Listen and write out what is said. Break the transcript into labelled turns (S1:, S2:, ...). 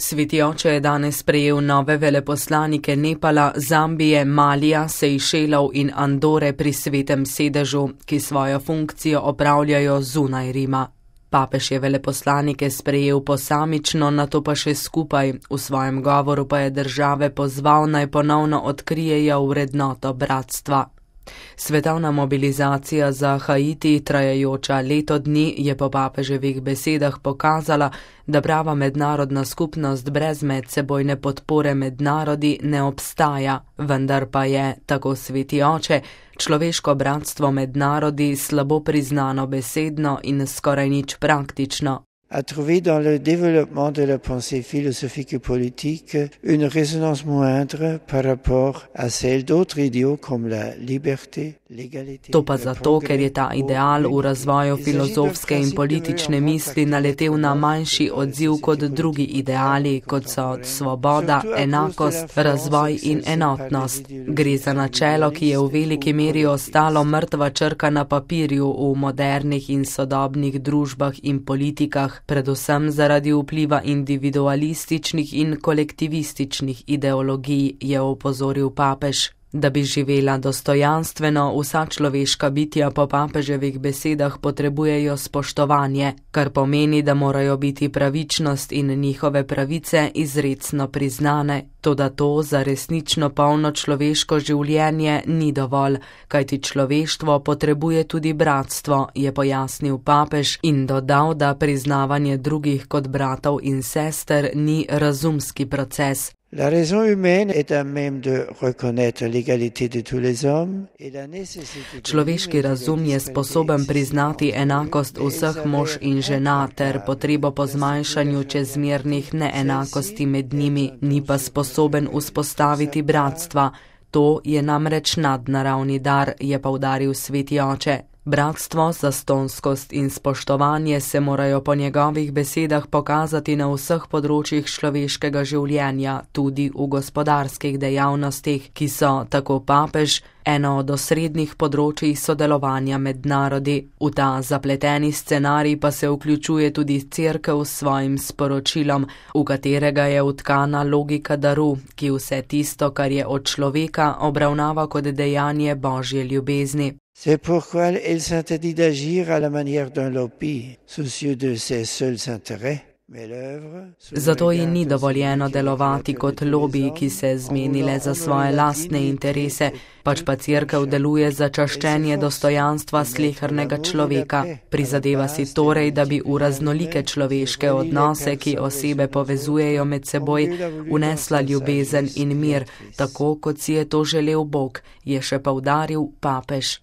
S1: Sveti oče je danes sprejel nove veleposlanike Nepala, Zambije, Malija, Sejšelov in Andore pri Svetem sedežu, ki svojo funkcijo opravljajo zunaj Rima. Papež je veleposlanike sprejel posamično, nato pa še skupaj. V svojem govoru pa je države pozval, naj ponovno odkrijejo vrednoto bratstva. Svetovna mobilizacija za Haiti, trajajoča leto dni, je po papeževih besedah pokazala, da prava mednarodna skupnost brez medsebojne podpore med narodi ne obstaja, vendar pa je, tako sveti oče, človeško bratstvo med narodi slabo priznano besedno in skoraj nič praktično.
S2: A trouvé dans le développement de la pensée philosophique et politique une résonance moindre par rapport à celle d'autres idéaux comme la liberté, l'égalité.
S1: To pa zato, ker je ta ideal v razvoju filozofske in politične misli naletel na manjši odziv kot drugi ideali, kot so svoboda, enakost, razvoj in enotnost. Gre za načelo, ki je v veliki meri ostalo mrtva črka na papirju v modernih in sodobnih družbah in politikah, predvsem zaradi vpliva individualističnih in kolektivističnih ideologij, je opozoril papež. Da bi živela dostojanstveno, vsa človeška bitja po papeževih besedah potrebujejo spoštovanje, kar pomeni, da morajo biti pravičnost in njihove pravice izrecno priznane. Toda to za resnično polno človeško življenje ni dovolj, kajti človeštvo potrebuje tudi bratstvo, je pojasnil papež in dodal, da priznavanje drugih kot bratov in sester ni razumski proces.
S2: La raison humaine est à même de reconnaître l'égalité de tous les hommes et la nécessité.
S1: Človeški razum je sposoben priznati enakost vseh mož in žena ter potrebo po zmanjšanju čezmernih neenakosti med njimi, ni pa sposoben vzpostaviti bratstva. To je namreč nadnaravni dar, je poudaril sveti oče. Bratstvo, zastonskost in spoštovanje se morajo po njegovih besedah pokazati na vseh področjih človeškega življenja, tudi v gospodarskih dejavnostih, ki so, tako papež, eno od osrednjih področij sodelovanja med narodi. V ta zapleteni scenarij pa se vključuje tudi Cerkev s svojim sporočilom, v katerega je vtkana logika daru, ki vse tisto, kar je od človeka, obravnava kot dejanje Božje ljubezni.
S2: C'est pourquoi elle s'interdit d'agir à la manière d'un lobby, soucieux de ses seuls intérêts.
S1: Zato ji ni dovoljeno delovati kot lobiji, ki se zmeni le za svoje lastne interese, pač pa Cerkev deluje za čaščenje dostojanstva slehernega človeka. Prizadeva si torej, da bi v raznolike človeške odnose, ki osebe povezujejo med seboj, unesla ljubezen in mir, tako kot si je to želel Bog, je še poudaril papež.